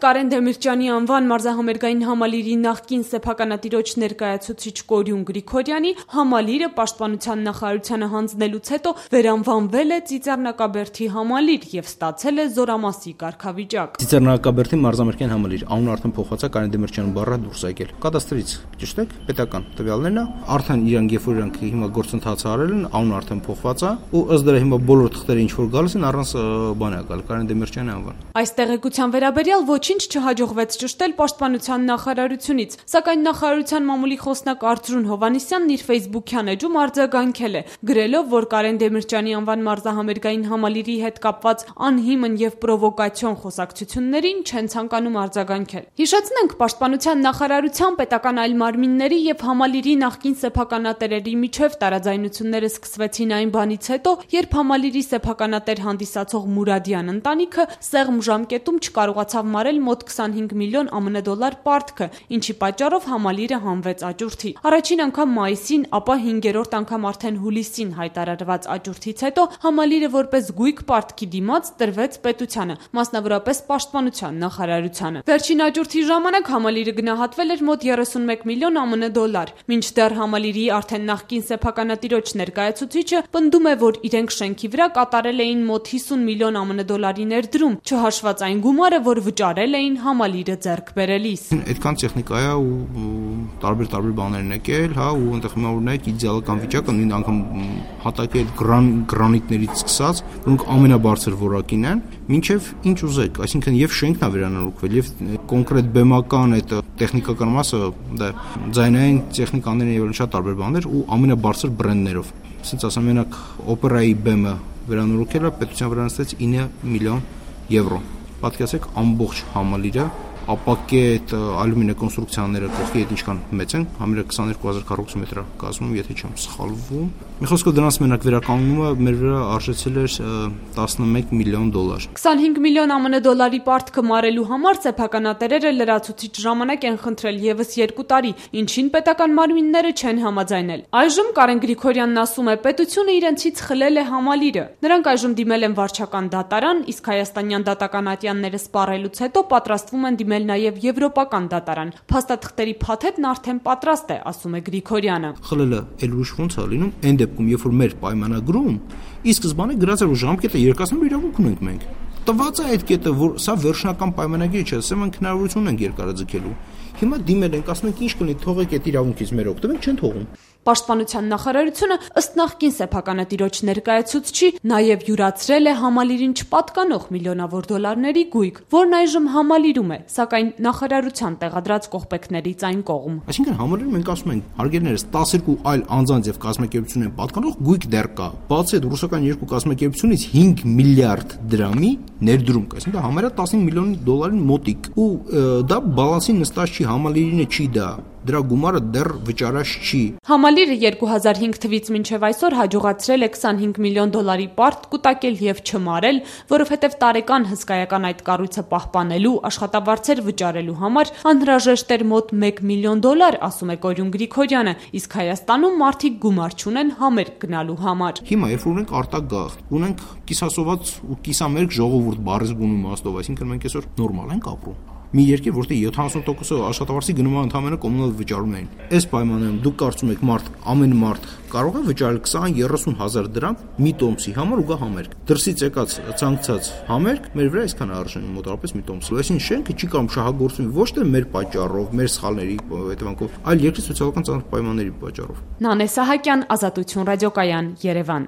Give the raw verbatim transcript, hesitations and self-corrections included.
Կարեն Դեմիրճյանի անվան մարզահամերգային համալիրի նախկին սեփականատիրոջ ներկայացուցիչ Կորյուն Գրիգորյանի համալիրը Պաշտպանության նախարարությանը հանձնելուց հետո վերանվանվել է Ծիծեռնակաբերդի համալիր եւ ստացել է զորամասի կարգավիճակ։ Ծիծեռնակաբերդի մարզահամերգային համալիր անունը արդեն փոխված է, Կարեն Դեմիրճյանի բառը դուրս է եկել։ Կադաստրից ճիշտ է, պետական տվյալներն է, արդեն իրանք երբ որ իրանք հիմա գործընթացը արել են, անունը արդեն փոխված է ու ըստ դրա հիմա բոլոր թղթերը ինչ որ գալիս են առանց բան է գալ Կարեն Դեմիրճյանի անվան։ Այս տեղեկության վերաբերյալ ոչինչ չհաջողվեց ճշտել Պաշտպանության նախարարությունից, սակայն նախարարության մամուլի խոսնակ Արծրուն Հովհաննիսյանն իր Facebook-յան էջում արձագանքել է, գրելով, որ Կարեն Դեմիրճյանի անվան մարզահամերգային համալիրի հետ կապված անհիմն եւ պրովոկացիոն խոսակցություններին չեն ցանկանում արձագանքել։ Հիշեցնենք, Պաշտպանության նախարարության պետական այլ մարմինների եւ համալիրի նախկին սեփականատերերի միջև տարաձայնությունները սկսվեցին այն բանից հետո, երբ համալիրի սեփականատեր հանդիսացող Մուրադյան ընտանիքը սեղմ ժամկետում չկարողացավ մարել մոտ քսանհինգ միլիոն ԱՄՆ դոլար պարտքը, ինչի պատճառով համալիրը հանվեց աճուրդի։ Առաջին անգամ մայիսին, ապա հինգերորդ անգամ արդեն հուլիսին հայտարարված աճուրդից հետո համալիրը որպես գույք պարտքի դիմաց տրվեց պետությանը, մասնավորապես Պաշտպանության նախարարությանը։ Վերջին աճուրդի ժամանակ համալիրը գնահատվել էր մոտ երեսունմեկ միլիոն ԱՄՆ դոլար։ Մինչդեռ համալիրի արդեն նախկին սեփականատիրոջ ներկայացուցիչը պնդում է, որ իրենք շենքի վրա կատարել էին մոտ հիսուն միլիոն ԱՄՆ դոլարի ներդրում, չհաշված այն գումարը, որ վճարել էին համալիրը ձեռք բերելիս։ Այդքան տեխնիկա է ու տարբեր-տարբեր բաներ են եկել, հա, ու այնտեղ հիմա օրինակ իդեալական վիճակը նույն անգամ հատակի այդ գրանիտներից սկսած, որոնք ամենաբարձր որակին են, մինչև ինչ ուզեք, այսինքն եւ շենքն է վերանորոգվել, եւ կոնկրետ բեմական այդ տեխնիկական մասը, դա ձայնային տեխնիկաներն եւ շատ տարբեր բաներ ու ամենաբարձր բրենդներով։ Ասենց ասեմ, մենակ օպերայի բեմը վերանորոգելը պետության վրա նստեց ինը միլիոն եվրո։ Պատկերացրեք ամբողջ համալիրը ապակե այդ ալյումինե կոնստրուկցիաները կողքի հետ ինչքան մեծ են, համարը քսաներկու հազար քառակուսի մետր կազմում, եթե չեմ սխալվում։ Մի խոսքով դրանց մենակ վերականգնումը մեր վրա արժեցել էր տասնմեկ միլիոն դոլար։ քսանհինգ միլիոն ԱՄՆ դոլարի պարտքը մարելու համար սեփականատերերը լրացուցիչ ժամանակ են խնդրել եւս երկու տարի, ինչին պետական մարմինները չեն համաձայնել։ Այժմ Կարեն Գրիգորյանն ասում է, պետությունը իրենցից խլել է համալիրը։ Նրանք այժմ դիմել են վարչական դատարան, իսկ հայաստանյան դատական ատյանները սպառելուց հետո պատրաստվում են դիմել նաև եվրոպական դատարան։ Փաստաթղթերի փաթեթն արդեն պատրաստ է, ասում է Գրիգորյանը։ Խլելը էլ ուշ ոնց է լինում, այն դեպքում, երբ որ մեր պայմանագրում ի սկզբանե գրած էր, որ ժամկետը երկրացնելու իրավունք ունենք մենք։ Տված է այդ կետը, որ սա վերջնական պայմանագիր չէ, ասեմ մենք հնարավորություն ունենք երկարաձգելու։ Հիմա դիմել ենք, ասում ենք ինչ կլինի, թողեք այդ իրավունքից մեր օգտվենք, չեն թողում։ Պաշտպանության նախարարությունը ըստ նախկին սեփականատիրոջ ներկայացուցչի նաև յուրացրել է համալիրին չպատկանող միլիոնավոր դոլարների գույք, որն այժմ համալիրում է, սակայն նախարարության տեղադրած կողպեքներից այն կողմ։ Այսինքն համալիրում մենք ասում ենք, հարգելներս տասներկու այլ անձանց եւ կազմակերպություններին պատկանող գույք դեռ կա։ Բացի այդ ռուսական երկու կազմակերպությունից հինգ միլիարդ դրամի ներդրում կա, այսինքն համարյա տասնհինգ միլիոն դոլարին մոտիկ։ Ու դա բալանսին նստած չի, համալիրինը չի դա։ Դրա գումարը դեռ վճարած չի։ Համալիրը երկու հազար հինգ թվականից մինչև այսօր հաջողացրել է քսանհինգ միլիոն դոլարի պարտ կուտակել եւ չմարել, որովհետեւ տարեկան հսկայական այդ կառույցը պահպանելու, աշխատավարձեր վճարելու համար անհրաժեշտ էր մոտ մեկ միլիոն դոլար, ասում է Կորյուն Գրիգորյանը, իսկ Հայաստանում մարդիկ գումար չունեն համերգ գնալու համար։ Հիմա երբ ունենք արտագաղթ, ունենք կիսասոված ու կիսամերկ ժողովուրդ բառից բունի իմաստով, այսինքն մենք այսօր նորմալ ենք ապրում։ Մի երկիր, որտեղ յոթանասուն տոկոսը աշխատավարձի գնումը ընդհանրապես կոմունալ վճարում էին։ Այս պայմաններում դուք կարծում եք մարդ, ամեն մարդ կարող է վճարել քսան երեսուն հազար դրամ մի տոմսի համար ու գա համերգ։ Դրսից եկած ցանկացած համերգ մեր վրա այսքան արժեն մոտավորապես մի տոմսի։ Այսինքն շենքը չի կարող շահագործվի ոչ թե մեր պատճառով, մեր սխալների հետևանքով, այլ երկրի սոցիալական ծանր պայմանների պատճառով։ Նանե Սահակյան, Ազատություն ռադիոկայան, Երևան։